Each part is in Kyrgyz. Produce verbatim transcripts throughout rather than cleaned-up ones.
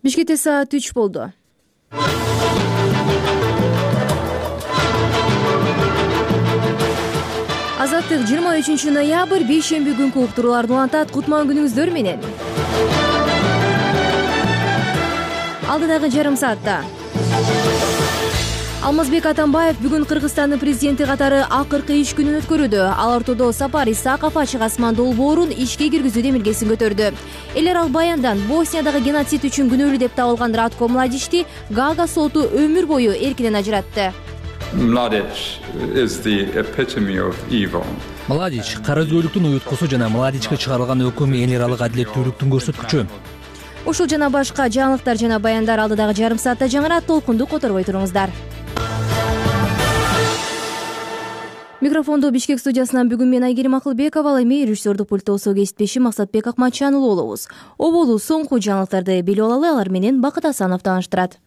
Бишкекте саат үч болду. Азаттык жыйырма үчүнчү ноябрь бейшемби күнкү уктурууларды улантат. Кутман күнүңүздөр менен. Алдыдагы жарым саатта Алмазбек Атамбаев бүгүн Кыргызстандын президенти катары акыркы иш күнүн өткөрүүдө. Ал ортодо Сапар Исаков ачык асман долбоорун ишке киргизүү демилгесин көтөрдү. Элер ал баяндан Босниядагы геноцид үчүн күнөөлүү деп табылган Ратко Младичти Гага соту өмүр бою эркинен ажыратты. Mladic is the epitome of evil. Младич караөзгөйлүктүн уюткусу жана Младичке чыгарылган өкүм эл аралык адилеттүүлүктүн көрсөткүчү. Ушул жана башка жаңылыктар жана баяндар алдыдагы жарым саатта жаңырат. Толкунду которбой туруңуздар. Микрофонду Бишкек студиясынан бүгүн мен Айгерим Акылбекова, ал эми режиссердук пульттосу кесиптешим Максатбек Акматчанұлы болобуз. Оболу соңку жаңылыктарды билип алалы, алар менен Бакыт Асанов тааныштырат.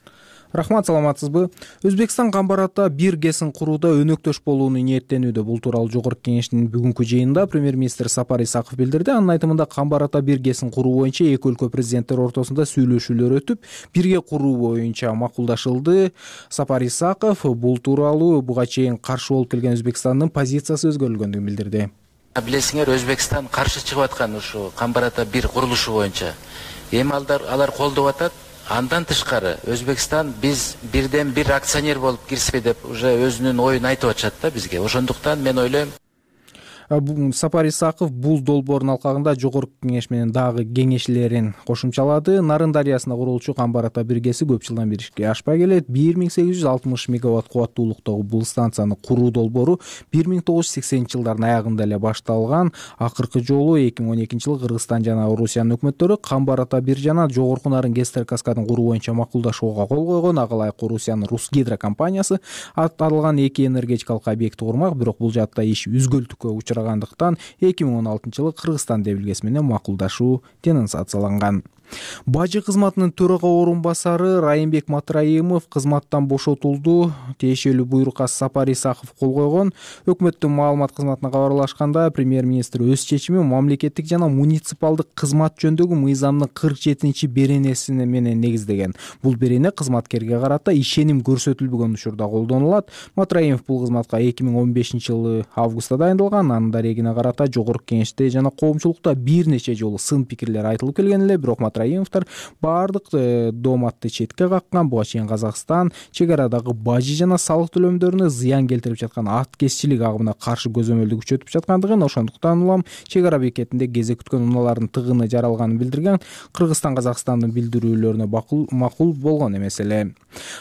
Рахмат, саламатсызбы? Өзбекстан Камбарата бир гэсин курууда өнөктөш болууну ниеттенүүдө. Бул тууралуу Жогорку Кеңештин бүгүнкү жыйынында премьер-министр Сапар Исаков билдирди. Анын айтымында Камбарата бир гэсин куруу боюнча эки өлкө президенттери ортосунда сүйлөшүүлөр өтүп, бирге куруу боюнча макулдашылды. Сапар Исаков бул тууралуу буга чейин каршы болуп келген Өзбекстандын позициясы өзгөрүлгөндүгүн билдирди. Билесиңер, Өзбекстан каршы чыгып аткан ушу Камбарата бир курулушу боюнча. Эми алар колдоп атат. Андан тышкары Өзбекстан биз бирден бир акционер болуп кирсек деп уже өзүнүн оюн айтып атышат да бизге. Ошондуктан мен ойлойм, Сапар Исаков бул долбоордун алкагында Жогорку Кеңеш менен дагы кеңешчилерин кошумчалады. Нарын дарыясында курулчу Камбарата бир гэси көп жылдан бери ишке ашпай келет. бир миң сегиз жүз алтымыш мегаватт кубаттуулуктагы бул станцияны куруу долбоору бир миң тогуз жүз сексенинчи жылдардын аягында эле башталган. Акыркы жолу эки миң он экинчи жылы Кыргызстан жана Орусиянын өкмөттөрү Камбарата бир жана Жогорку Нарын Гестер каскадын куруу боюнча макулдашууга кол койгон. Ага ылайык Орусиянын Русгидро компаниясы аталган эки энергетикалык объектти курмак, бирок бул жаатта иш үзгүлтүккө учураган. эки миң он алтынчы жылы Кыргызстан демилгеси менен макулдашуу денонсацияланган. Бажы кызматынын төрага орун басары Райымбек Матраимов кызматтан бошотулду. Тиешелүү буйрукка Сапар Исаков кол койгон. Өкмөттүн маалымат кызматына кабарлашканда, премьер-министр өз чечими мамлекеттик жана муниципалдык кызмат жөнүндөгү мыйзамдын кырк жетинчи беренеси менен негиздеген. Бул берене кызматкерге карата ишеним көрсөтүлбөгөн учурда колдонулат. Матраимов бул кызматка эки миң он бешинчи жылы августта дайындалган. Анын дарегине карата Жогорку Кеңеште жана коомчулукта бир нече жолу сын пикирлер айтылып келген эле, бирок Матраимовдор баардык дооматты четке каккан. Буга чейин Казакстан чегарадагы бажы жана салык төлөмдөрүнө зыян келтирип жаткан аткезчилик агымына каршы көзөмөлдү күчөтүп жаткандыгын, ошондуктан улам чегара бекетинде кезек күткөн унаалардын тыгыны жаралганын билдирген. Кыргызстан Казакстандын билдирүүлөрүнө макул болгон эмес эле.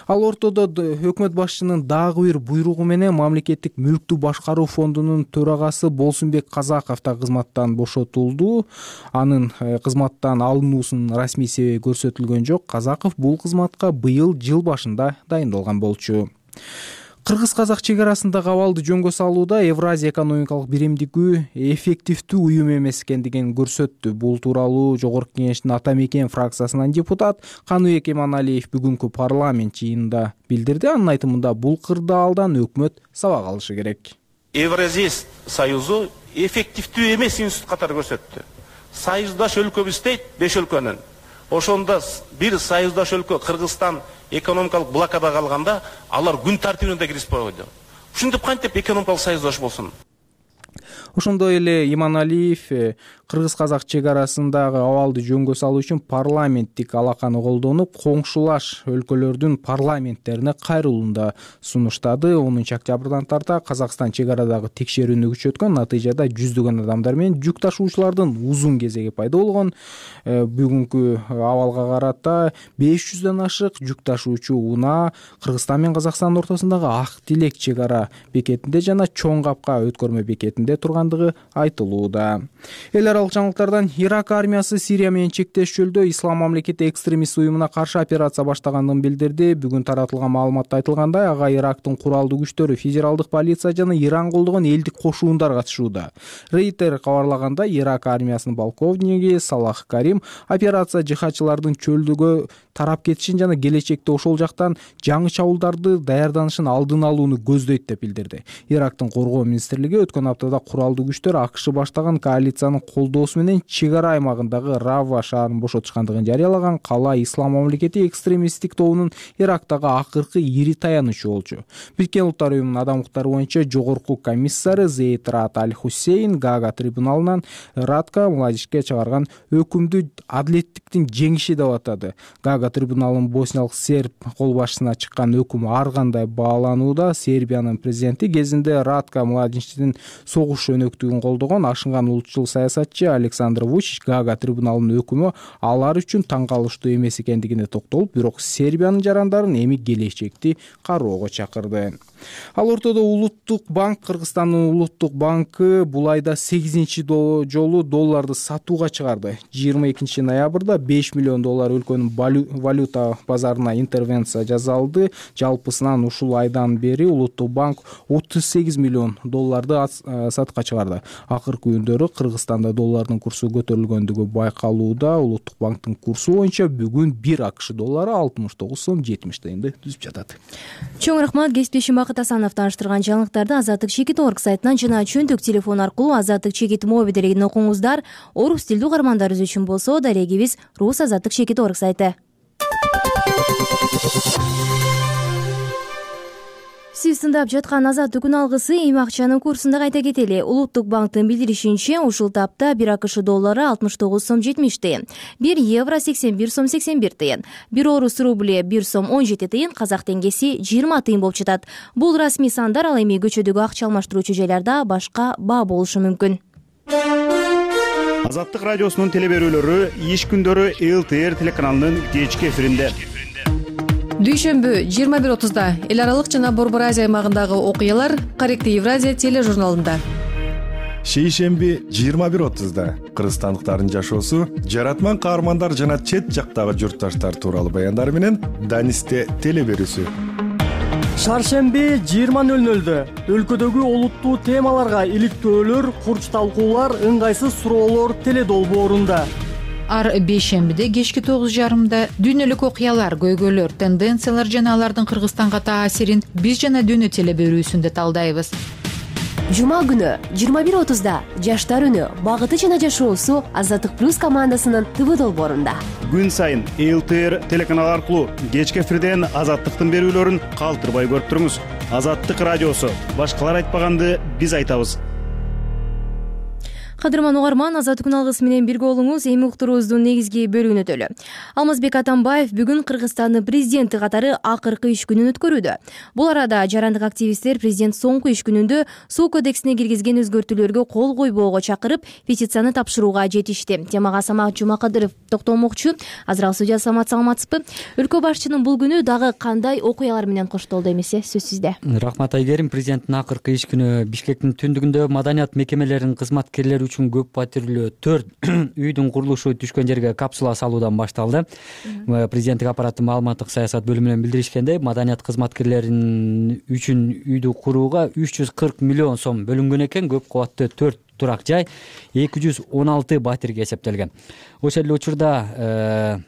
Ал ортодо өкмөт башчынын дагы бир буйругу менен мамлекеттик мүлктү башкаруу фондунун төрагасы Болсунбек Казаков да кызматтан бошотулду. Анын кызматтан алынуусунун расмий себеби көрсөтүлгөн жок. Казаков бул кызматка быйыл жыл башында дайындалган болчу. Кыргыз-казак чегарасындагы абалды жөнгө салууда Евразия экономикалык биримдиги эффективдүү уюм эмес экендигин көрсөттү. Бул тууралуу Жогорку Кеңештин Ата Мекен фракциясынан депутат Каныбек Иманалиев бүгүнкү парламент жыйынында билдирди. Анын айтымында бул кырдаалдан өкмөт сабак алышы керек. Евразия союзу эффективдүү эмес институт катары көрсөттү. Союздаш өлкөбүз дейт беш өлкөнүн. Ошондо бир союздаш өлкө Кыргызстан экономикалык блокада калганда алар күн тартибине да киришпей койду. Ушинтип кантип экономикалык союздаш болсун? Ошондой эле Иманалиев кыргыз-казак чегарасындагы абалды жөнгө салуу үчүн парламенттик алаканы колдонуп, коңшулаш өлкөлөрдүн парламенттерине кайрылууну сунуштады. онунчу октябрдан тарта Казакстан чегарадагы текшерүүнү күчөткөн. Натыйжада жүздөгөн адамдар менен жүк ташуучулардын узун кезеги пайда болгон. Бүгүнкү абалга карата беш жүздөн ашык жүк ташуучу унаа Кыргызстан менен Казакстандын ортосундагы Ак Тилек чегара бекетинде жана Чоң Капка өткөрмө бекетинде тургандыгы айтылууда. Эл аралык жаңылыктардан Ирак армиясы Сирия менен чектеш жолдо Ислам мамлекети экстремист уюмуна каршы операция баштаганын билдирди. Бүгүн таратылган маалыматта айтылгандай, ага Ирактын куралдуу күчтөрү, федералдык полиция жана Иран колдогон элдик кошуундар катышууда. Рейтер кабарлагандай, Ирак армиясынын полковниги Салах Карим операция жихадчылардын чөлдөгө тарап кетишин жана келечекте ошол жактан жаңы чабуулдарды даярданышын алдын алууну көздөйт деп билдирди. Ирактын коргоо министрлиги өткөн аптада курал феодалдуу күчтөр АКШ баштаган коалициянын колдоосу менен чек ара аймагындагы Рава шаарын бошотушкандыгын жарыялаган. Кала Ислам мамлекети экстремисттик тобунун Ирактагы акыркы ири таянычы болчу. Бириккен Улуттар уюмунун адам укуктары боюнча жогорку комиссары Зейд Раад Аль-Хусейн Гага трибуналынан Радка Младичке чыгарган өкүмдү адилеттиктин жеңиши деп атады. Гага трибуналынын босниялык серб кол башчысына чыккан өкүм ар кандай бааланууда. Сербиянын президенти кезинде Радка Младичтин согуш өнөктүгүн колдогон ашынган улутчул саясатчы Александр Вучич Гага трибуналынын өкүмү алар үчүн таң калыштуу эмес экендигине токтолуп, бирок Сербиянын жарандарын эми келечекти кароого чакырды. Ал ортодо Улуттук банк, Кыргызстандын Улуттук банкы бул айда сегизинчи жолу долларды сатууга чыгарды. жыйырма экинчи ноябрда беш миллион доллар өлкөнүн валюта базарына интервенция жасалды. Жалпысынан ушул айдан бери Улуттук банк отуз сегиз миллион долларды сатыкка чыгарды. Акыркы күндөрү Кыргызстанда доллардын курсу көтөрүлгөндүгү байкалууда. Улуттук банктын курсу боюнча бүгүн бир АКШ доллары алтымыш тогуз сом жетимиш тыйынды түзүп жатат. Чоң рахмат. Кесиптешим Бакыт Асанов таныштырган жаңылыктарды Азаттык чекит орг сайтынан жана чөнтөк телефон аркылуу Азаттык чекит моби делегин окуңуздар. Орус тилдүү угармандарыбыз үчүн болсо дарегибиз Рус Азаттык чекит орг сайты. Сиз тыңдап жаткан Азаттык күн алгысы эми акчанын курсунда кайта кетели. Улуттук банктын билдиришинче, ушул тапта бир АКШ доллары алтымыш тогуз сом жетимиш тыйын, бир евро сексен бир сом сексен бир тыйын, бир орус рубли бир сом он жети тыйын, казак теңгеси жыйырма тыйын болуп жатат. Бул расмий сандар, ал эми көчөдөгү акча алмаштыруучу жайларда башка баа болушу мүмкүн. Азаттык радиосунун телеберүүлөрү иш күндөрү ЛТР телеканалынын кечки эфиринде. Дүйшөмбү жыйырма бир отузда эл аралык жана Борбор Азия аймагындагы окуялар Корректив Евразия тележурналында. Шейшемби жыйырма бир отузда кыргызстандыктардын жашоосу, жаратман каармандар жана чет жактагы журтташтар тууралуу баяндар менен Данисте телеберүүсү. Шаршемби жыйырма нөл нөлдө өлкөдөгү олуттуу темаларга иликтөөлөр, курч талкуулар, ыңгайсыз суроолор теледолбоорунда. Ар бейшембиде кечки тогуз жарымда дүйнөлүк окуялар, көйгөйлөр, тенденциялар жана алардын Кыргызстанга таасирин биз жана дүйнө телеберүүсүндө талдайбыз. Жума күнү жыйырма бир отузда жаштар үнү, багыты жана жашоосу Азаттык плюс командасынын ТВ долбоорунда. Күн сайын ЛТР телеканал аркылуу кечки эфирден Азаттыктын берүүлөрүн калтырбай көрүп туруңуз. Азаттык радиосу. Башкалар айтпаганды биз айтабыз. Кадырман угарман, Азаттык күн алгысы менен бирге болуңуз. Эми уктуруубуздун негизги бөлүгүнө өтөлү. Алмазбек Атамбаев бүгүн Кыргызстандын президенти катары акыркы иш күнүн өткөрүүдө. Бул арада жарандык активисттер президент соңку иш күнүндө суу кодексине киргизген өзгөртүүлөргө кол койбоого чакырып, петицияны тапшырууга жетишти. Темага Самат Жумакадыров токтолмокчу. Азыр ал студия. Самат, саламатсызбы? Өлкө башчынын бул күнү дагы кандай окуялар менен коштолду эмесе? Сөз сизде. Рахмат Айгерим. Президенттин акыркы иш күнү Бишкектин түндүгүндө маданият мекемелеринин кызматкерлери үчүн көп патрулдуу төрт үйдүн курулушу түшкөн жерге капсула салуудан башталды. Президенттик аппараттын маалыматтык саясат бөлүмүнөн билдиришкендей, маданият кызматкерлеринин үчүн үйдү курууга үч жүз кырк миллион сом бөлүнгөн экен. Көп кабаттуу төрт турак жай эки жүз он алты батирге эсептелген. Ошол эле учурда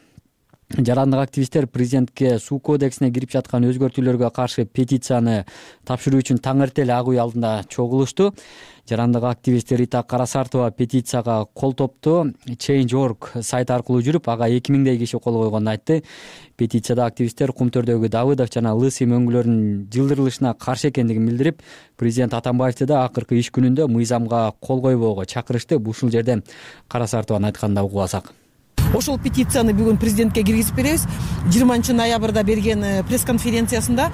жарандык активисттер президентке суу кодексине кирип жаткан өзгөртүүлөргө каршы петицияны тапшыруу үчүн таң эртеле ак үй алдында чогулушту. Жарандык активист Рита Карасартова петицияга кол топту Change точка org сайты аркылуу жүрүп, ага эки миңдей киши кол койгонун айтты. Петицияда активисттер Кумтөрдөгү Давыдов жана Лысый мөңгүлөрүнүн жылдырылышына каршы экендигин билдирип, президент Атамбаевди да акыркы иш күнүндө мыйзамга кол койбоого чакырышты. Ушул жерден Карасартованын айтканын угуп алсак. Ошол петицияны бүгүн президентке киргизип беребиз. жыйырманчы ноябрда берген пресс-конференциясында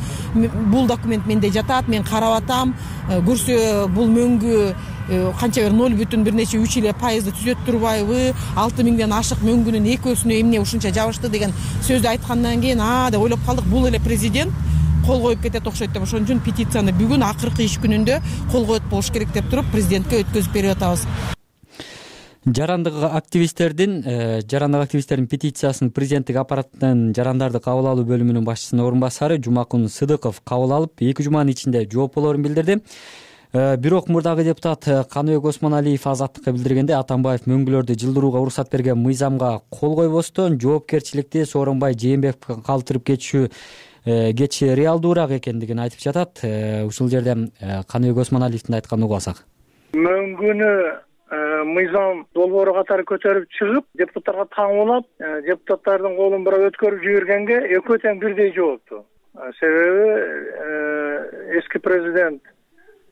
бул документ менде жатат, мен карап атам, көрсө бул мөңгү канча бир ноль бүтүн бир нече үч эле пайызды түзөт турбайбы, алты миңден ашык мөңгүнүн экөөсүнө эмне ушунча жабышты деген сөздү айткандан кийин а деп ойлоп калдык, бул эле президент кол коюп кетет окшойт деп. Ошон үчүн петицияны бүгүн акыркы иш күнүндө кол коюп болуш керек деп туруп президентке өткөзүп берип атабыз. Жарандык активисттердин жарандык активисттердин петициясын президенттик аппараттын жарандарды кабыл алуу бөлүмүнүн башчысынын орун басары Жумакун Сыдыков кабыл алып, эки жуманын ичинде жооп болорун билдирди. Бирок мурдагы депутат Каныбек Осмоналиев Азаттыкка билдиргенде, Атамбаев мөңгүлөрдү жылдырууга уруксат берген мыйзамга кол койбостон жоопкерчиликти Сооронбай Жээнбековго калтырып кетишүү кетиши реалдуураак экендигин айтып жатат. Ушул жерден Каныбек Осмоналиевдин айтканын угуп алсак. мөңгүнү мыйзам долбоору катары көтөрүп чыгып, депутаттарга таңуулап, депутаттардын колун бурап өткөрүп жибергенге экөө тең бирдей жоопту. Себеби эски президент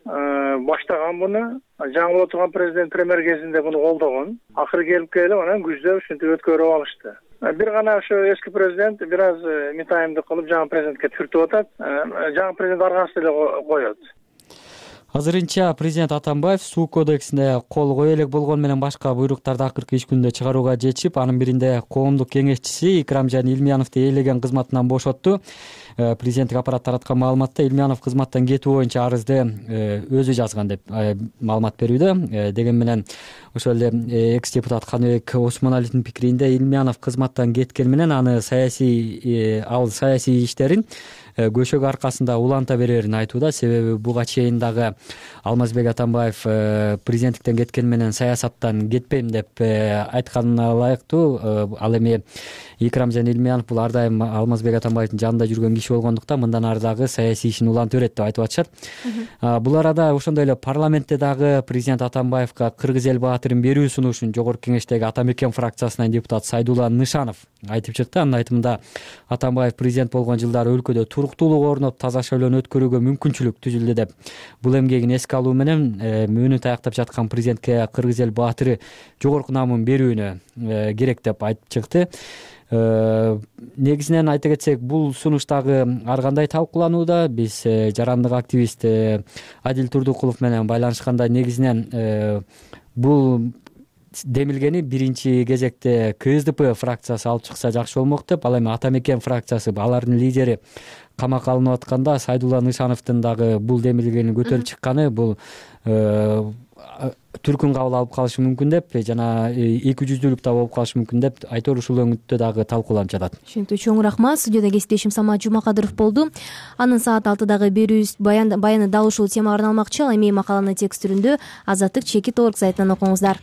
баштаган буну, жаңы болуп турган президент премьер кезинде буну колдогон. Акыры келип келип анан күздө ушинтип өткөрүп алышты. Бир гана ошо эски президент бир аз метайымдык кылып жаңы президентке түртүп атат. Жаңы президент аргасыз эле коет. Азырынча президент Атамбаев суу кодексине кол кое элек болгону менен башка буйруктарды акыркы иш күнүндө чыгарууга жетишип, анын биринде коомдук кеңешчиси Икрамжан Илмияновду ээлеген кызматынан бошотту. Президенттик аппарат тараткан маалыматта Илмиянов кызматтан кетүү боюнча арызды өзү жазган деп маалымат берүүдө. Деген менен ошол эле экс депутат Каныбек Осмоналиевдин пикиринде Илмиянов кызматтан кеткени менен аны саясий ал саясий иштерин көшөгө аркасында уланта берерин айтууда. Себеби буга чейин дагы Алмазбек Атамбаев президенттиктен кеткени менен саясаттан кетпейм деп айтканына ылайыктуу. Ал эми Икрамжан Илмиянов бул ар дайым Алмазбек Атамбаевдин жанында жүргөн киши болгондуктан мындан ары дагы саясий ишин уланта берет деп айтып атышат. Бул арада ошондой эле парламентте дагы президент Атамбаевга Кыргыз эл баатырын берүү сунушун жогорку кеңештеги Атамекен фракциясынан депутат Сайдулла Нышанов айтып чыкты. Анын айтымында Атамбаев президент болгон жылдары өлкөдө туруктуулук орноп, таза шайлоону өткөрүүгө мүмкүнчүлүк түзүлдү деп бул эмгегин эске алуу менен мөөнөт таяктап жаткан президентке Кыргыз эл баатыры жогорку наамын берүүнү керек деп айтып чыкты. Негизинен айта кетсек, бул сунуш дагы ар кандай талкууланууда. Биз жарандык активист Адил Турдукулов менен байланышканда негизинен бул демилгени биринчи кезекте КСДП фракциясы алып чыкса жакшы болмок деп, ал эми Атамекен фракциясы, алардын лидери камакка алынып атканда Сайдулла Нышановдун дагы бул демилгени көтөрүп чыкканы бул түркүн кабыл алып калышы мүмкүн деп жана эки жүздүүлүк да болуп калышы мүмкүн деп айтор ушул өңүттө дагы талкууланып жатат. Түшүнүктүү, чоң рахмат. Студияда кесиптешим Самат Жумакадыров болду. Анын саат алтыдагы берүүбүз баяны дал ушул темага арналмакчы. Ал эми макаланы текст түрүндө Азаттык чекит орг сайтынан окуңуздар.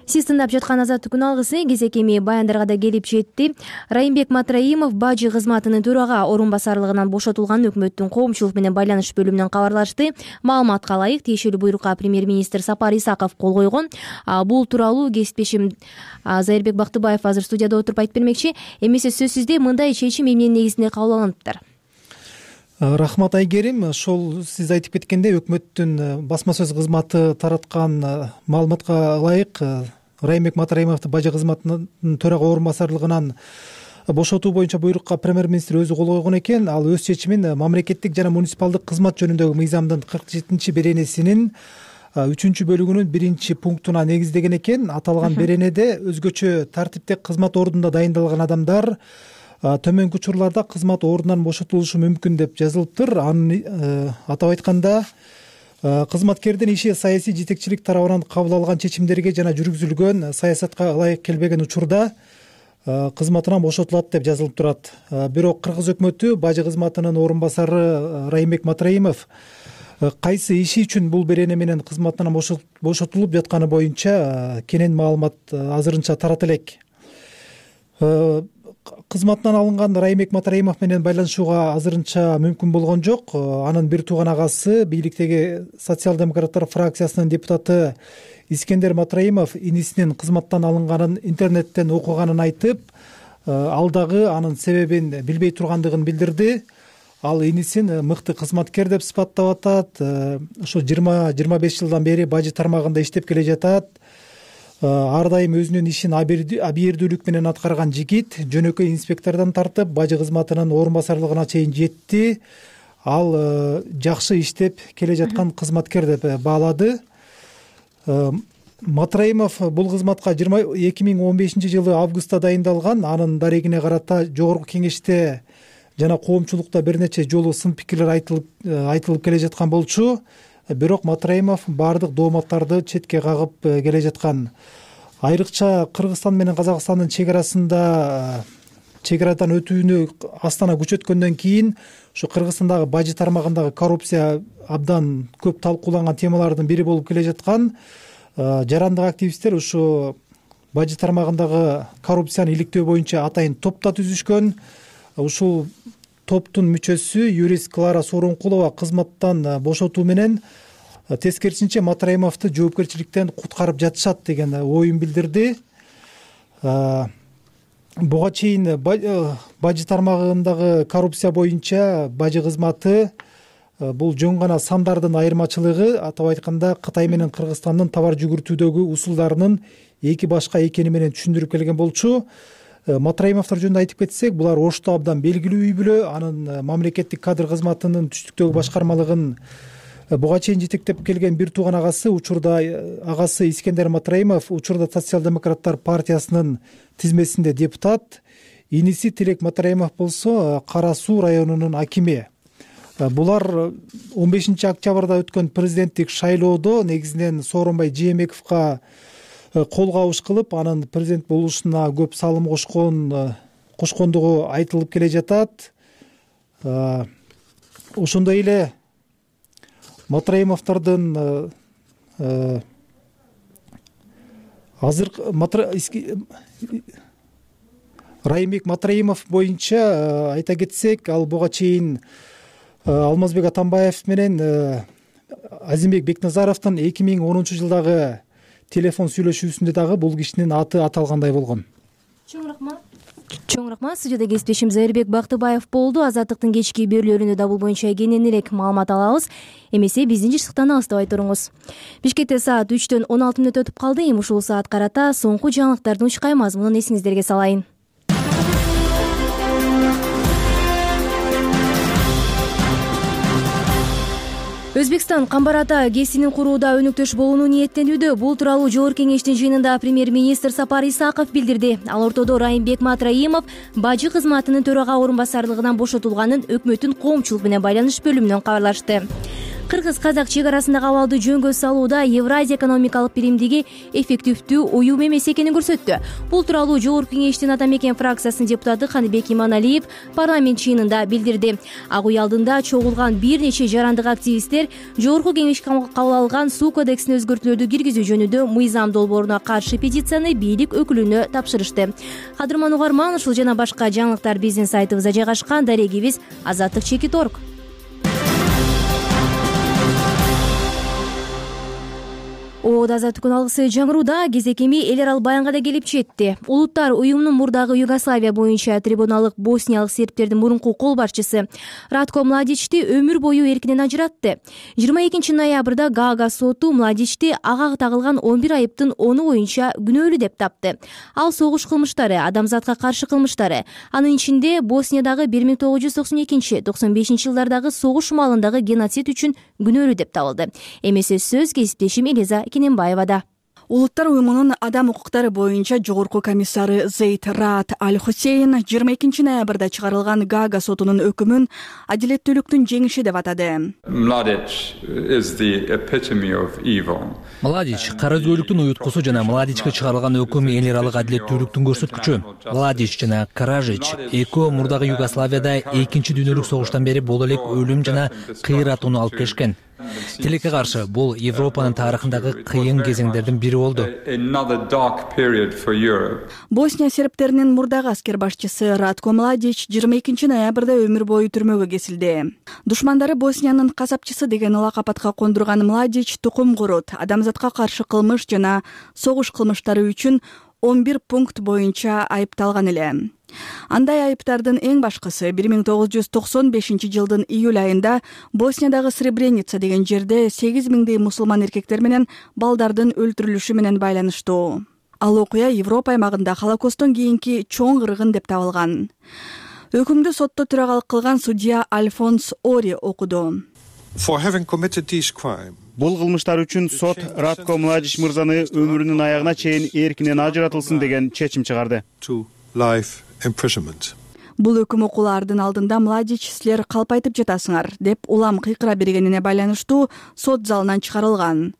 Сиз тыңдап жаткан Азаттык күн алгысы кезек эми баяндарга да келип жетти. Райымбек Матраимов бажы кызматынын төрага орун басарлыгынан бошотулган өкмөттүн коомчулук менен байланыш бөлүмүнөн кабарлашты. Маалыматка ылайык, тиешелүү буйрукка премьер-министр Сапар Исаков кол койгон. Бул тууралуу кесиптешим Зайырбек Бактыбаев азыр студияда отуруп айтып бермекчи. Эмесе сөзсүздөй мындай чечим эмненин негизинде кабыл алыныптыр? Рахмат Айгерим. Ошол сиз айтып кеткендей, өкмөттүн басма сөз кызматы тараткан маалыматка ылайык Райымбек Матраимовду бажы кызматынын төрага орун басарлыгынан бошотуу боюнча буйрукка премьер-министр өзү кол койгон экен. Ал өз чечимин мамлекеттик жана муниципалдык кызмат жөнүндөгү мыйзамдын кырк жетинчи беренесинин үчүнчү бөлүгүнүн биринчи пунктуна негиздеген экен. Аталган беренеде өзгөчө тартипте кызмат ордунда дайындалган адамдар төмөнкү учурларда кызмат ордунан бошотулушу мүмкүн деп жазылыптыр. Аны атап айтканда кызматкердин иши саясий жетекчилик тарабынан кабыл алган чечимдерге жана жүргүзүлгөн саясатка ылайык келбеген учурда кызматынан бошотулат деп жазылып турат. Бирок кыргыз өкмөтү бажы кызматынын орун басары Райымбек Матраимов кайсы иши үчүн бул берене менен кызматынан бошотулуп жатканы боюнча кенен маалымат азырынча тарата элек. Кызматынан алынган Райымбек Матраимов менен байланышууга азырынча мүмкүн болгон жок. Анын бир тууган агасы, бийликтеги социал-демократтар фракциясынын депутаты Искендер Матраимов инисинин кызматтан алынганын интернеттен окуганын айтып, ал дагы анын себебин билбей тургандыгын билдирди. Ал инисин мыкты кызматкер деп сыпаттап атат. Ошо жыйырма жыйырма беш жылдан бери бажы тармагында иштеп келе жатат. Ар дайым өзүнүн ишин абийирдүүлүк менен аткарган жигит, жөнөкөй инспектордон тартып бажы кызматынын орун басарлыгына чейин жетти. Ал жакшы иштеп келе жаткан кызматкер деп баалады. Матраимов бул кызматка эки миң он бешинчи жылы августта дайындалган. Анын дарегине карата жогорку кеңеште жана коомчулукта бир нече жолу сын пикирлер айтылып айтылып келе жаткан болчу. Бирок Матраимов баардык дооматтарды четке кагып келе жаткан. Айрыкча Кыргызстан менен Казакстандын чек арасында чек арадан өтүүнү астана күчөткөндөн кийин ушу Кыргызстандагы бажы тармагындагы коррупция абдан көп талкууланган темалардын бири болуп келе жаткан. Жарандык активисттер ушу бажы тармагындагы коррупцияны иликтөө боюнча атайын топ да түзүшкөн. Ушул топтун мүчөсү юрист Клара Сооронкулова кызматтан бошотуу менен тескерисинче Матраимовду жоопкерчиликтен куткарып жатышат деген оюн билдирди. Буга чейин бажы тармагындагы коррупция боюнча бажы кызматы бул жөн гана сандардын айырмачылыгы, атап айтканда Кытай менен Кыргызстандын товар жүгүртүүдөгү усулдарынын эки башка экени менен түшүндүрүп келген болчу. Матраимовдор жөнүндө айтып кетсек, булар Ошто абдан белгилүү үй бүлө, анын мамлекеттик кадр кызматынын түштүктөгү башкармалыгын буга чейин жетектеп келген бир тууган агасы, учурда агасы Искендер Матраимов учурда Социал-демократтар партиясынын тизмесинде депутат, иниси Тилек Матраимов болсо Кара Суу районунун акими. Булар он бешинчи октябрда өткөн президенттик шайлоодо негизинен Сооронбай Жээнбековго кол кабыш кылып, анын президент болушуна көп салым кошкон кошкондугу айтылып келе жатат. Ошондой эле Матраимовдордун азыр Райымбек Матраимов боюнча айта кетсек, ал буга чейин Алмазбек Атамбаев менен Азимбек Бекназаровдун эки миң онунчу жылдагы телефон сүйлөшүүсүндө дагы бул кишинин аты аталгандай болгон. Чоң рахмат. Чоң рахмат. Студияда кесиптешим Зайырбек Бактыбаев болду. Азаттыктын кечки берүүлөрүндө да бул боюнча кенен элек маалымат алабыз. Эмесе биздин жыштыктан алыстабай туруңуз. Бишкекте саат үчтөн он алты мүнөт өтүп калды. Эми ушул саат карата соңку жаңылыктардын учкай мазмунун эсиңиздерге салайын. Өзбекстан Камбар ата ГЭСинин курууда өнүктөш болууну ниеттенүүдө. Бул тууралуу Жогорку кеңештин жыйынында премьер-министр Сапар Исаков билдирди. Ал ортодо Райымбек Матраимов бажы кызматынын төрага орун басарлыгынан бошотулганын өкмөттүн коомчулук менен байланыш бөлүмүнөн кабарлашты. Кыргыз-казак чек арасындагы абалды жөнгө салууда Евразия экономикалык биримдиги эффективдүү уюм эмес экенин көрсөттү. Бул тууралуу Жогорку кеңештин Ата Мекен фракциясынын депутаты Каныбек Иманалиев парламент чыйынында билдирди. Ак үй алдында чогулган бир нече жарандык активисттер Жогорку кеңеш кабыл алган суу кодексине өзгөртүүлөрдү киргизүү жөнүндө мыйзам долбооруна каршы петицияны бийлик өкүлүнө тапшырышты. Кадырман угарман, ушул жана башка жаңылыктар биздин сайтыбызда жайгашкан. Дарегибиз азаттык чекит точка орг. Оода азаттыктын алгысы жаңырууда. Кезекеми эл арал баянга да келип жетти. Улуттар уюмунун мурдагы Югославия боюнча трибуналык босниялык сербтердин мурунку кол башчысы Радко Младичти өмүр бою эркинен ажыратты. жыйырма экинчи ноябрда Гаага соту Младичти ага тагылган он бир айыптын оны боюнча күнөөлүү деп тапты. Ал согуш кылмыштары, адамзатка каршы кылмыштары, анын ичинде Босниядагы бир миң тогуз жүз токсон экинчи токсон бешинчи жылдардагы согуш маалындагы геноцид үчүн күнөөлүү деп табылды. Эмесе сөз кесиптешим Элиза Кененбаевада. Улуттар уюмунун адам укуктары боюнча жогорку комиссары Зейд Раат Аль-Хусейн жыйырма экинчи ноябрда чыгарылган Гаага сотунун өкүмүн адилеттүүлүктүн жеңиши деп атады. Младич кара өзгөлүктүн уюткусу жана Младичке чыгарылган өкүм эл аралык адилеттүүлүктүн көрсөткүчү. Младич жана Каражич экөө мурдагы Югославияда экинчи дүйнөлүк согуштан бери боло элек өлүм жана кыйратууну алып келишкен. Тилекке каршы бул Европанын тарыхындагы кыйын кезеңдердин бири болду. Босния сербтеринин мурдагы аскер башчысы Радко Младич жыйырма экинчи ноябрда өмүр бою түрмөгө кесилди. Душмандары Босниянын касапчысы деген лакап атка кондурган Младич тукум курут, адамзатка каршы кылмыш жана согуш кылмыштары үчүн он бир пункт боюнча айыпталган эле. Андай айыптардын эң башкысы бир миң тогуз жүз токсон бешинчи жылдын июль айында Босниядагы Сребреница деген жерде сегиз миңдей мусулман эркектер менен балдардын өлтүрүлүшү менен байланыштуу. Ал окуя Европа аймагында Холокосттон кийинки чоң кыргын деп табылган. Өкүмдү сотто төрагалык кылган судья Альфонс Ори окуду. Бул кылмыштар үчүн сот Радко Младич мырзаны өмүрүнүн аягына чейин эркинен ажыратылсын деген чечим чыгарды. Бул өкүм окуулардын алдында Младич силер калпайтып жатасыңар деп улам кыйкыра бергенине байланыштуу сот залынан чыгарылган.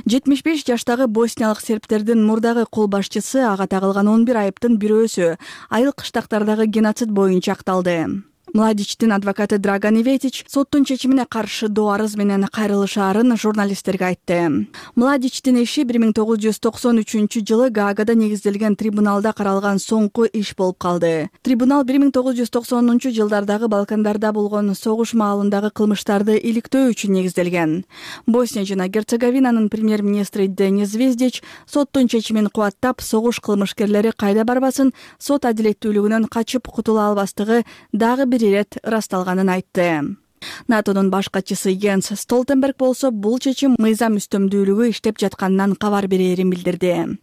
жетимиш беш жаштагы босниялык сербтердин мурдагы кол башчысы ага тагылган он бир айыптын бирөөсү айыл кыштактардагы геноцид боюнча акталды. Младичтин адвокаты Драган Иветич соттун чечимине каршы доо арыз менен кайрылышаарын журналисттерге айтты. Младичтин иши бир миң тогуз жүз токсон үчүнчү жылы Гаагада негизделген трибуналда каралган соңку иш болуп калды. Трибунал бир миң тогуз жүз токсонунчу жылдардагы Балкандарда болгон согуш маалындагы кылмыштарды иликтөө үчүн негизделген. Босния жана Герцеговинанын премьер-министри Денис Звездич соттун чечимин кубаттап, согуш кылмышкерлери кайда барбасын, сот адилеттүүлүгүнөн качып кутула албастыгы дагы бир ирет ырасталганын айтты. натонун баш катчысы Йенс Столтенберг болсо бул чечим мыйзам үстөмдүүлүгү иштеп жатканынан кабар берерин билдирди.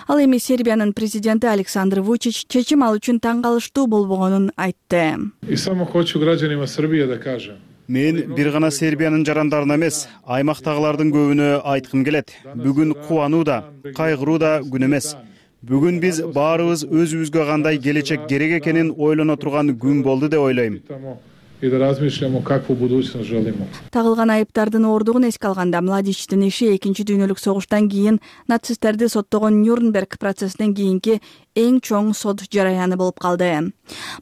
Ал эми Сербиянын президенти Александр Вучич чечим ал үчүн таң калыштуу болбогонун айтты. И само хочу гражданима Сербия да кажем. Мен бир гана Сербиянын жарандарына эмес, аймактагылардын көбүнө айткым келет. Бүгүн кубануу да, кайгыруу да күн эмес. Бүгүн биз баарыбыз өзүбүзгө кандай келечек керек экенин ойлоно турган күн болду деп ойлойм. И да размишлямо какву будущность желимо. Тагылган айыптардын оордугун эске алганда Младичтин иши экинчи дүйнөлүк согуштан кийин нацисттерди соттогон Нюрнберг процессинен кийинки эң чоң сот жараяны болуп калды.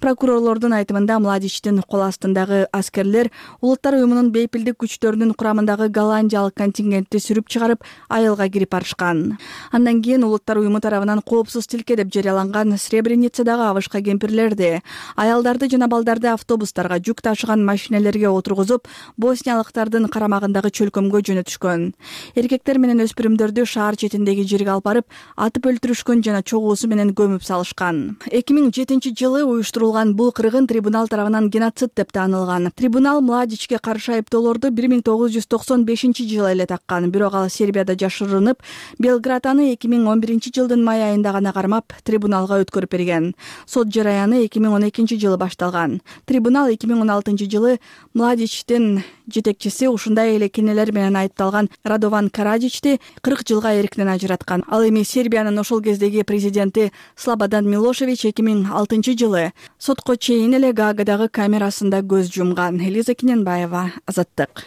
Прокурорлордун айтымында Младичтин кол астындагы аскерлер Улуттар уюмунун бейпилдик күчтөрүнүн курамындагы голландиялык контингентти сүрүп чыгарып, айылга кирип барышкан. Андан кийин Улуттар уюму тарабынан коопсуз тилке деп жарыяланган Сребреницадагы абышка кемпирлерди, аялдарды жана балдарды автобустарга, жүк ташыган машинелерге отургузуп, босниялыктардын карамагындагы чөлкөмгө жөнөтүшкөн. Эркектер менен өспүрүмдөрдү шаар четиндеги жерге алып барып, атып өлтүрүшкөн жана чогуусу менен көмүп салышкан. эки миң жетинчи жылы уюштурулган бул кыргын трибунал тарабынан геноцид деп таанылган. Трибунал Младичке каршы айыптоолорду бир миң тогуз жүз токсон бешинчи жылы эле таккан, бирок ал Сербияда жашырынып, Белград аны эки миң он биринчи жылдын май айында гана кармап, трибуналга өткөрүп берген. Сот жараяны эки миң он экинчи жылы башталган. Трибунал эки миң он алтынчы жылы Младичтин жетекчиси ушундай эле кинелер менен айыпталган Радован Карадичти кырк жылга эркинен ажыраткан. Ал эми Сербиянын ошол кездеги президенти Слободан Милошевич эки миң алтынчы жылы сотко чейин эле Гаагадагы камерасында көз жумган. Элиза Киненбаева, Азаттык.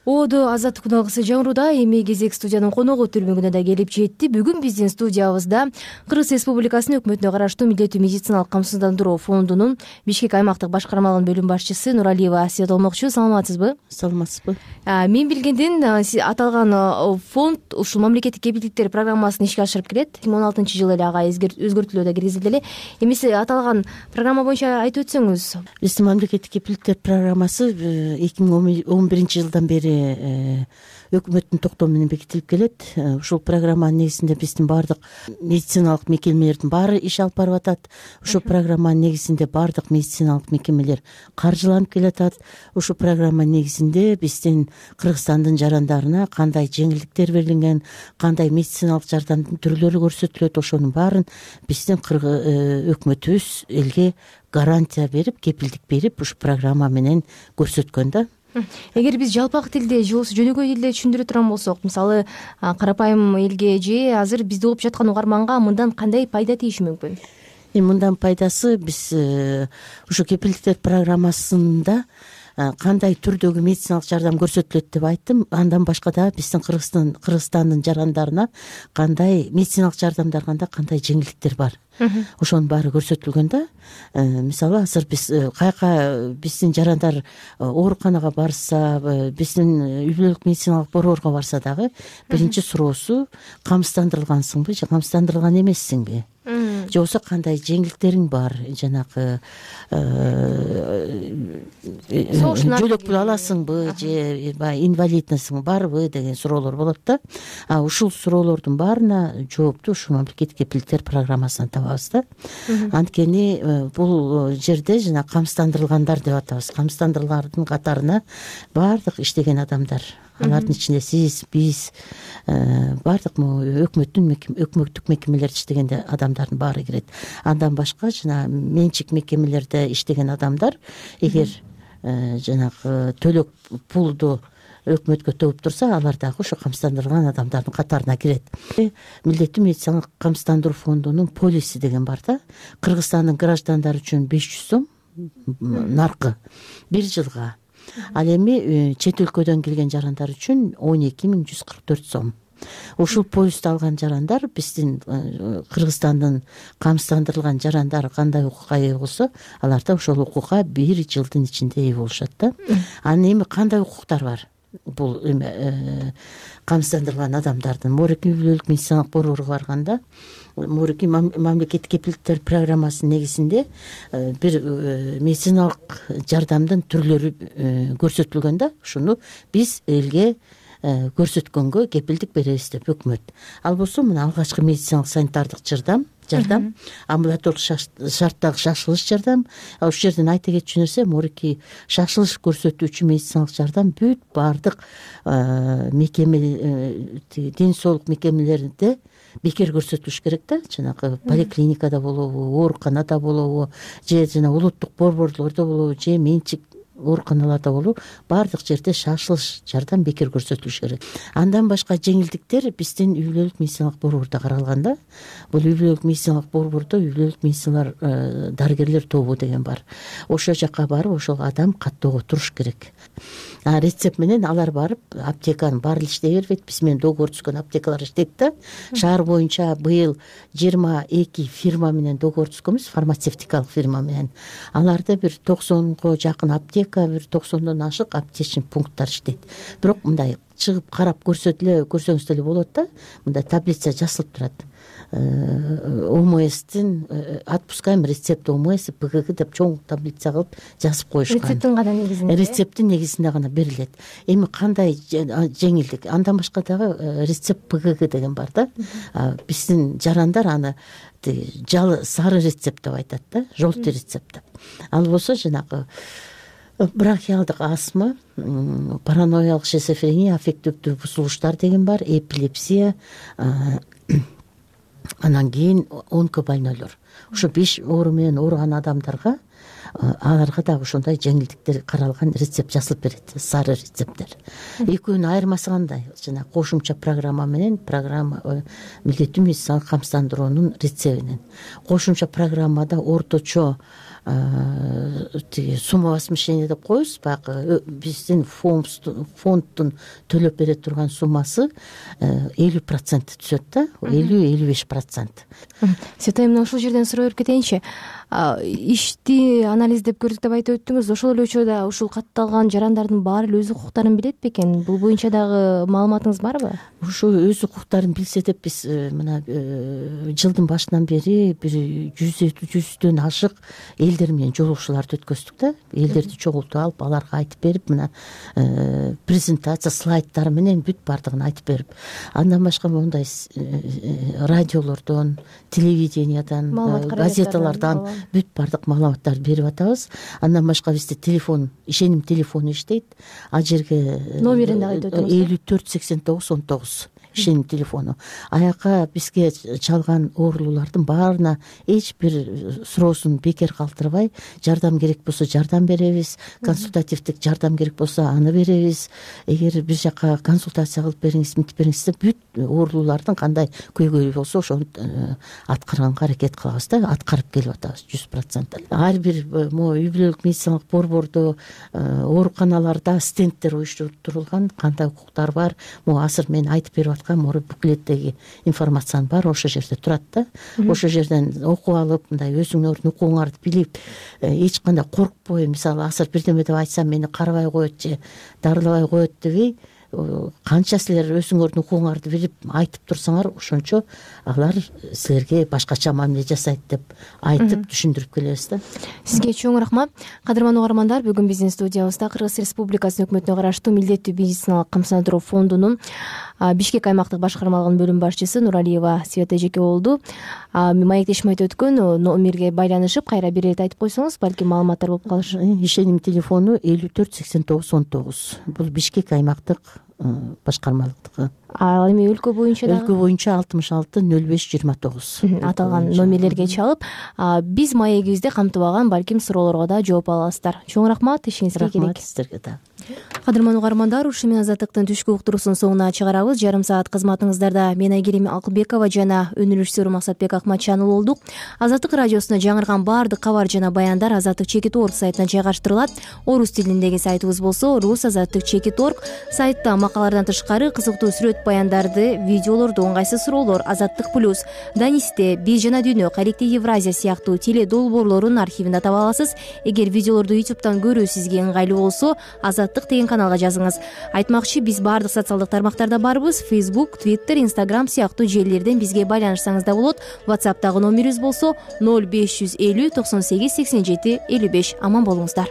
Оодо азаттык күнагысы жаңыруда, эми кезек студиянын коногу түрмөгүнө да келип жетти. Бүгүн биздин студиябызда Кыргыз Республикасынын өкмөтүнө караштуу милдеттүү медициналык камсыздандыруу фондунун Бишкек аймактык башкармалыгынын бөлүм башчысы Нуралиева Асия Толмокчу. Саламатсызбы? Саламатсызбы. Мен билгенден аталган фонд ушул мамлекеттик кепилдиктер программасын ишке ашырып келет. эки миң он алтынчы жылы эле ага өзгөртүүлөр да киргизилди эле. Эмесе аталган программа боюнча айтып өтсөңүз. Биздин мамлекеттик кепилдиктер программасы эки миң он биринчи жылдан бери өкмөттүн токтому менен бекитилип келет. Ушул программанын негизинде биздин баардык медициналык мекемелердин баары иш алып барып атат. Ушул программанын негизинде баардык медициналык мекемелер каржыланып келатат. Ушул программанын негизинде биздин Кыргызстандын жарандарына кандай жеңилдиктер берилген, кандай медициналык жардамдын түрлөрү көрсөтүлөт, ошонун баарын биздин өкмөтүбүз элге гарантия берип, кепилдик берип, ушул программа менен көрсөткөн да. Эгер биз жалпак тилде же болбосо жөнөкөй тилде түшүндүрө турган болсок, мисалы карапайым элге же азыр бизди угуп жаткан угарманга мындан кандай пайда тийиши мүмкүн? Эми мындан пайдасы, биз ушу кепилдиктер программасында кандай түрдөгү медициналык жардам көрсөтүлөт деп айттым. Андан башка да биздин Кыргызстан Кыргызстандын жарандарына кандай медициналык жардамдарганда кандай жеңилдиктер бар. Ошонун баары көрсөтүлгөн да. Мисалы азыр биз каяка биздин жарандар ооруканага барса, биздин үй бүлөлүк медициналык борборго барса дагы биринчи суроосу камсыздандырылгансыңбы же камсыздандырылган эмессиңби? Же болбосо кандай жеңилдиктериң бар, жанагы жөлөк пул аласыңбы же баягы инвалиднасың барбы деген суроолор болот да. А ушул суроолордун баарына жоопту ушул мамлекеттик кепилдиктер программасынан табабыз да. Анткени бул жерде жана камсыздандырылгандар деп атабыз. Камсыздандырылгандардын катарына баардык иштеген адамдар, алардын ичинде сиз, биз, баардык өкмөттүн өкмөттүк мекемелерде иштеген адамдардын баары кирет. Андан башка жана менчик мекемелерде иштеген адамдар эгер жанагы төлөк пулду өкмөткө төгүп турса, алар дагы ошо камсыздандырылган адамдардын катарына кирет. Милдеттүү медициналык камсыздандыруу фондунун полиси деген бар да. Кыргызстандын граждандары үчүн беш жүз сом наркы бир жылга. Ал эми чет өлкөдөн келген жарандар үчүн он эки миң жүз кырк төрт сом. ушул поездду алган жарандар биздин Кыргызстандын камсыздандырылган жарандары кандай укукка ээ болсо, алар да ошол укукка бир жылдын ичинде ээ болушат да. Анан эми кандай укуктар бар бул эме камсыздандырылган адамдардын? Морекий үй бүлөлүк медициналык борборго барганда Морекий мамлекеттик кепилдиктер программасынын негизинде бир медициналык жардамдын түрлөрү көрсөтүлгөн да. Ушуну биз элге көрсөткөнгө кепилдик беребиз деп өкмөт. Ал болсо мына алгачкы медициналык санитардык жардам, жардам, амбулаторлук шарттагы шашылыш жардам. Ошол жерден айта кетчү нерсе, Морекий шашылыш көрсөтүүчү медициналык жардам бүт баардык мекеме, ден соолук мекемелеринде бекер көрсөтүлүш керек да. Жанагы поликлиникада болобу, ооруканада болобу, же жана улуттук борборлордо болобу, же менчик ооруканаларда болобу, баардык жерде шашылыш жардам бекер көрсөтүлүш керек. Андан башка жеңилдиктер биздин үй бүлөлүк медициналык борбордо каралган да. Бул үй бүлөлүк медициналык борбордо үй бүлөлүк медициналар дарыгерлер тобу деген бар. Ошол жака барып, ошол адам каттоого туруш керек. А рецепт менен алар барып аптеканын баары эле иштей бербейт. Биз менен договор түзгөн аптекалар иштейт да. Шаар боюнча быйыл жыйырма эки фирма менен договор түзгөнбүз, фармацевтикалык фирма менен. Аларда бир токсонго жакын аптека, бир токсондон ашык аптечный пункттар иштейт. Бирок мындай чыгып карап көрсөтүлө, көрсөңүз деле болот да. Мындай таблица жазылып турат. ОМСтин отпускаем рецепт ОМС ПГГ деп чоң таблица кылып жазып коюшкан. Рецепттин гана негизинде. Рецепттин негизинде гана берилет. Эми кандай жеңилдик? Андан башка дагы рецепт ПГГ деген бар да. Биздин жарандар аны жалы сары рецепт деп айтат да, желтый рецепт деп. Ал болсо жанагы бронхиалдык астма, параноялык шизофрения, аффективдүү бузулуштар деген бар, эпилепсия, анан кийин онкобольнойлор. Ушу беш оору менен ооруган адамдарга аларга дагы ошондой жеңилдиктер каралган рецепт жазылып берет, сары рецепттер. Экөөнүн айырмасы кандай? Жана кошумча программа менен программа милдеттүү медициналык камсыздандыруунун рецебинен. Кошумча программада орточо суммовозмещение деп коебуз, баягы биздин фонддун төлөп бере турган суммасы элүү процент түзөт да, элүү элүү беш процент. Светай, мына ушул жерден суроо берип кетейинчи. Ишти анализдеп көрдүк деп айтып өттүңүз. Ошол эле учурда ушул катталган жарандардын баары эле өз укуктарын билет бекен? Бул боюнча дагы маалыматыңыз барбы? Ушул өз укуктарын билсе деп биз мына жылдын башынан бери бир жүздөн ашык элдер менен жолугушууларды өткөздүк да. Элдерди чогултуп алып, аларга айтып берип, мына презентация слайдтары менен бүт бардыгын айтып берип, андан башка мондай радиолордон, телевидениядан, газеталардан бүт бардык маалыматтарды берип атабыз. Андан башка бизде телефон, ишеним телефону иштейт. Ал жерге номерин дагы айтып өтүңүз. элүү төрт сексен тогуз он тогуз ишеним телефону. Аяка бизге чалган оорулуулардын баарына эч бир суроосун бекер калтырбай, жардам керек болсо жардам беребиз, консультативдик жардам керек болсо аны беребиз. Эгер бир жака консультация кылып бериңиз, мынтип бериңиз деп бүт оорулуулардын кандай көйгөйү болсо ошону аткарганга аракет кылабыз да, аткарып келип атабыз жүз процент. Ар бир могу үй бүлөлүк медициналык борбордо, ооруканаларда стендтер уюштурулган, кандай укуктар бар, могу азыр мен айтып берип аткан мору буклеттеги информациянын баары ошол жерде турат да. Ошол жерден окуп алып, мындай өзүңөрдүн укугуңарды билип, эч кандай коркпой, мисалы азыр бирдеме деп айтсам мени карабай коет же дарылабай коет дебей, канча силер өзүңөрдүн укугуңарды билип айтып турсаңар, ошончо алар силерге башкача мамиле жасайт деп айтып түшүндүрүп келебиз да. Сизге чоң рахмат. Кадырман угармандар, бүгүн биздин студиябызда Кыргыз Республикасынын өкмөтүнө караштуу милдеттүү медициналык камсыздандыруу фондунун Бишкек аймактык башкармалыгынын бөлүм башчысы Нуралиева Света эжеке болду. Маектешим айтып өткөн номерге байланышып кайра бир ирет айтып койсоңуз, балким маалыматтар болуп калышы. Ишеним телефону элүү төрт сексен тогуз он тогуз. Бул Бишкек аймактык башкармалыктыкы. Ал эми өлкө боюнча дагы? Өлкө боюнча алтымыш алты нөл беш жыйырма тогуз. Аталган номерлерге чалып, биз маегибизде камтыбаган балким суроолорго да жооп аласыздар. Чоң рахмат, ишиңизге келек. Рахмат сиздерге да. кадырман угармандар, ушу менен Азаттыктын түшкү уктуруусунун соңуна чыгарабыз. Жарым саат кызматыңыздарда мен Айгерим Акылбекова жана өнүрүшчүсү Максатбек Акматчанұлы болдук. Азаттык радиосуна жаңырган баардык кабар жана баяндар азаттык чекит орг сайтына жайгаштырылат. Орус тилиндеги сайтыбыз болсо рус азаттык чекит орг. Сайтта макалалардан тышкары кызыктуу сүрөт баяндарды, видеолорду, ыңгайсыз суроолор, Азаттык плюс, Данисте, Биз жана дүйнө, Корректив Евразия сыяктуу теле долбоорлорун архивинде таба аласыз. Эгер видеолорду ютубтан көрүү сизге ыңгайлуу болсо, Азаттык деген каналга жазыңыз. Айтмакчы, биз баардык социалдык тармактарда барбыз. Facebook, Twitter, Instagram сыяктуу желилерден бизге байланышсаңыз да болот. WhatsApp'тагы номерибиз болсо ноль беш жүз элүү токсон сегиз сексен жети элүү беш. Аман болуңуздар.